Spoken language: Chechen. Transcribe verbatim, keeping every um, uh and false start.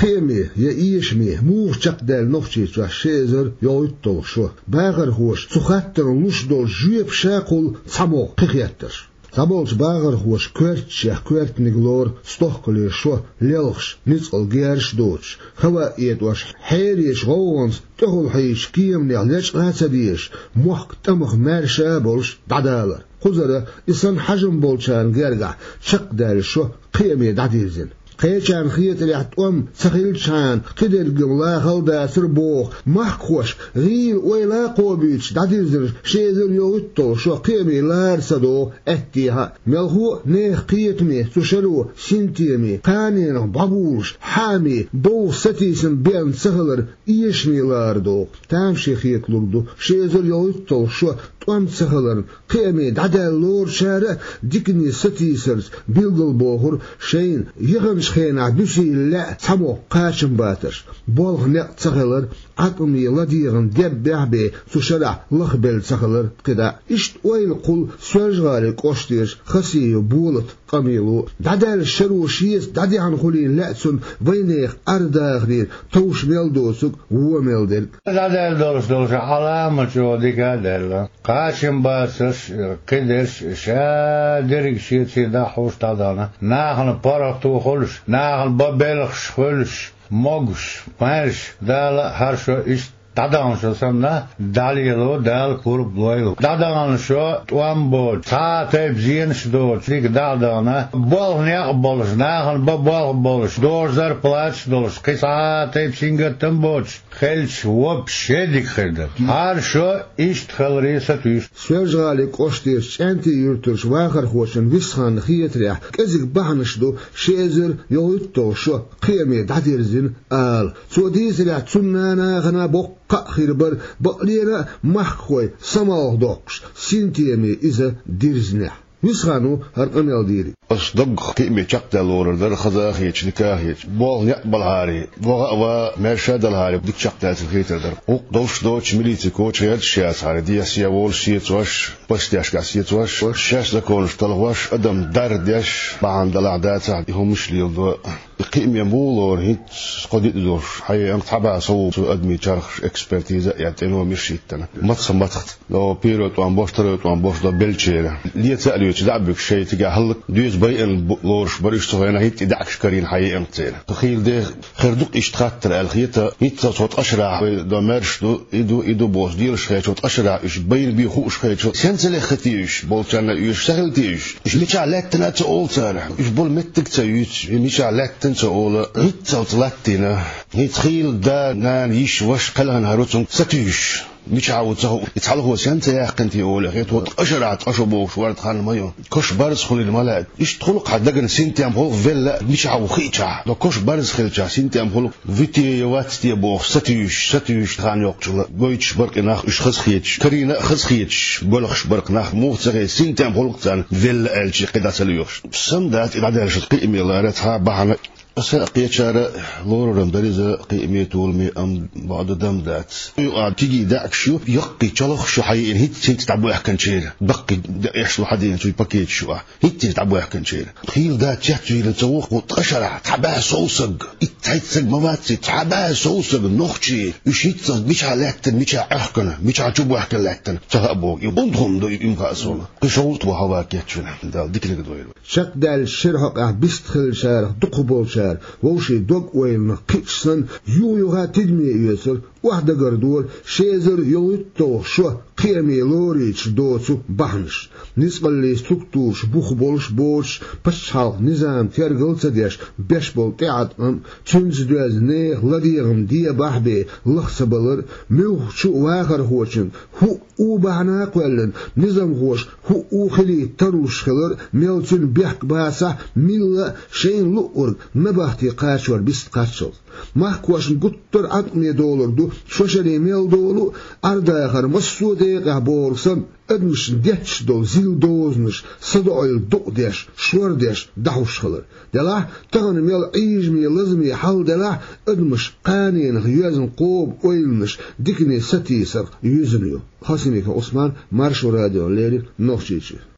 Кхеаме я эшаме муха чекхдаьлла Нохчийчохь ши эзар йолхуьйтталгӀа шо? Бахархоша цу хаттарна луш долчу жоьпашкахула цхьамогӀа кхин хеттарш. Цхьаболчу бахархоша коьртачех коьртаниг лору стохкале шо лелхаш, ницкъала герзаш а доцуш, хӀаваъ этӀош, хьерачу гӀовгӀанца тӀехула хьийзачу кеманех лечкъа а ца дезаш, мохк тӀамах маьрша а болуш дӀадалар. Кхузара и санна хьажам болчарна гергахь чекхдаьлла шо кхеаме дӀадирзина. Кхечарна хетарехь, тӀом ца хилчхьана, кхидерг-м лахал а дацара боху махкахошка гӀийла ойла а кхобуьйтуш дӀадирзина ши эзар йолхуьйтталгӀа шо кхеаме лара ца догӀу аьттехьа а. Мелхо а нехан кхетаме цу шаро синтеме, кханенах бӀобулуш, хьааме, бовха сатийсам бен ца хилар эшаме лара догӀу. Тамаше хеталур ду, ши эзар йолхуьйтталгӀа шо тӀом ца хиларна, кхеаме дӀадаьлла лоручара а дикане сатийсарца билгалбохура шайна яханчу хенахь буьсийла лаьа цхьамогӀа кхачамбатарш. Болх-некъ ца хилар, Ӏаткъаме ладегӀан деббехь а бен цу шарахь лахбелла ца хилар кхидӀа а. Иштта ойла кхуллу Соьлжа-ГӀалин кӀоштерчу Хасиев Болата къамело. ДӀадаьлла шаро шеца дӀадехьна хуьлийна лаьа цунна вайнехан ардахарера товш мел доцург, вон мел дерг. ДӀадаьлла долуш долуш Ӏаламат чӀогӀа дика а даьлла. Кхачамбацарш, кхидерш, ша дерриг шеца дӀахьуш дӀадахана. Нахана паргӀато хуьлуш, нахана бан белхаш хуьлуш, могуш, маьрша, Дала а хӀара шо иштта дӀадаханчу санна дӀалело Дала пурба лойла. ДӀадахана шо тӀом боцуш, цхьа а тайпа зенаш доцуш, дика дӀа а дахана, болх-некъ а болуш, нахана бан болх а болуш, дожа зарплаташ а долуш, кхин цхьа а тайпа сингаттам а боцуш хилча, вообще дика хир дара. ХӀара шо иштта хиларе сатуьйсу. Соьлжа-ГӀалин кӀоштерчу ЦӀентий-Юьртарчу вахархочун Висханна хетарехь, кӀезиг бахьанаш ду ши эзар йолхуьйтталгӀа шо кхеаме дӀадирзина ала. Цо дийцарехь, цунна нахана боккха а хир бара, бакъдерг а махкахой самалха доккхуш, синтеме иза дирзинехь. Висхана ву хӀара къамел дийриг. Ас даггах кхеаме чекхдаьлла лорур дара, хаза а хеташ, дика а хеташ. Болх-некъ балахьара, ваха а ван, маьрша а далахьара, дика чекхдаьлла хетар дара. Гуш долуш доцуш милицин коча гӀерташ яцахьара, дехьа-сехьа волуш сецош, постешкахь сецош, шаьш законаш талхош, адам дарба деш, бахьана далахь дацахь, и хӀуманаш леладо. И кхеаме муха лору, хӀинца кхо де а долуш, хьаеанчу цхьа бӀе сов цу адамийн чархаш, экспертиза а яьлла, тӀе номерш а йиттина. Мацах-мацах, но первый тӀом беш, второй тӀом беш дан беллачеран. Леца а лоьцуш, дӀа а буьгуш, шайн цигахь хӀаллак доьза байъина бу-, лоруш бара уьш цу хенахь, хӀинца и даьӀахкаш карийна хьаеанчу церан. Хила де, хир ду-кх иштта хаттар аьлла хета, хӀинццалц хӀокху ткъа шарахь вай дан маьрша ду, и ду, и ду бохуш делаш хилча, ткъа шарахь уьш байна бен хууш хилча, сенца лехха те уьш, болчарна оьшуш ца хила те уьш? Уьш мичахь лаьттина а ца олу цара, уьш болу меттиг а ца юьйцу, мичахь лаьттина а ца олу, хӀинццалц латтийна. ХӀинца хийла да, нана, йиша, ваша кхелхина хӀара ву цунна сатуьйсуш. Мичахь ву ца хуу, и цхьалхо сенца яьккхина те олу, хета, хӀокху ткъа шарахь ткъа шо бохуш варна хан ма ю. Каш барз хуьлийла ма лаьа. Иштта хуьлу-кх хьан дагана синтем хуьлу-кх велла а, мичахь ву хиъчахь. Ткъа каш барз хилчахь, синтем хуьлу-кх вите я вац те бохуш, сатуьйсуш, сатуьйсуш хан йоккхуш хила. Гойтуш бара-кх и нах, уьш хазахеташ, карийна а хазахеташ, боьлхуш бара-кх нах, муха ца хета, синтем хуьлу-кх царна велла аьлча кхин дӀа ца лоьхуш. Сан дац и дӀадаьлла шо кхеаме лара цхьа а бахьана. Аса а кхечара лорур-м дара иза кхеаме, толаме, амма бакъду дан дац. Юкъа кегий даьӀахкаш ю, яккхий чолхаш ю хьаеана, хӀинцца-хӀинцца дӀабоьхкинчеран. Даккхий декъеш ло хьадеана цуьнан пакеташ юкъа. ХӀинцца-хӀинцца дӀабоьхкинчеран. Хийла да цецвийла ца ву-кх ткъа шарахь цхьа бӀе сов саг. Итт-цхьайтта саг ма вац и, цхьа бӀе сов саг нохчий. Уьш хӀинццалц мичахь лаьттина, мичахь Ӏохкана, мичахь чубоьхкина лаьттина, ца хаьа боху. И унтхам ду и, им хаьа суна. Кхин шовзткъа ваха хӀавака кечвина. Дала диканиг дойла. Чекхдаьллачу шеран хьокъехь бистхилчарах дукхахболчара вовшийн дог-ойланах кхиъча санна, юха-юха тидаме оьцура, охьадагардора ши эзар йолхуьйтталгӀа шо кхеаме лоруьйтуш доцу бахьанаш. Ницкъаллин структураш бух болуш боцуш, пачхьалкхан низам тергал а ца деш, беш болу тӀеӀаткъам а, цуьнца доьзна нехан ладегӀам дебахь а бен лаха ца балар а, муьлххачу вахархочун хӀуъа у бахьана а кхоьллина, низамхоша хӀуъа у хилийта тарлуш хилар а, мел цуьнан бехк бацахь а, милла а шайна луъург набахте кхачор бист кхаччалц. Махкахошна гуттар а Ӏаткъаме долур ду, шо шаре мел долу а, Ӏардахар массо а декъехь бохург санна, адамашна детташ долу зил дозанаш садоӀийла дукъ деш, шор деш, дӀахьуш хилар. Делахь, тахана мел Ӏийжаме, лазаме хьал делахь а, адамаш кханенах йоьзна кхоба ойланаш дикане сатийсарх юьзна ю. Хасимиков Ӏусман, Маршо радиона леррина, Нохчийчуьра.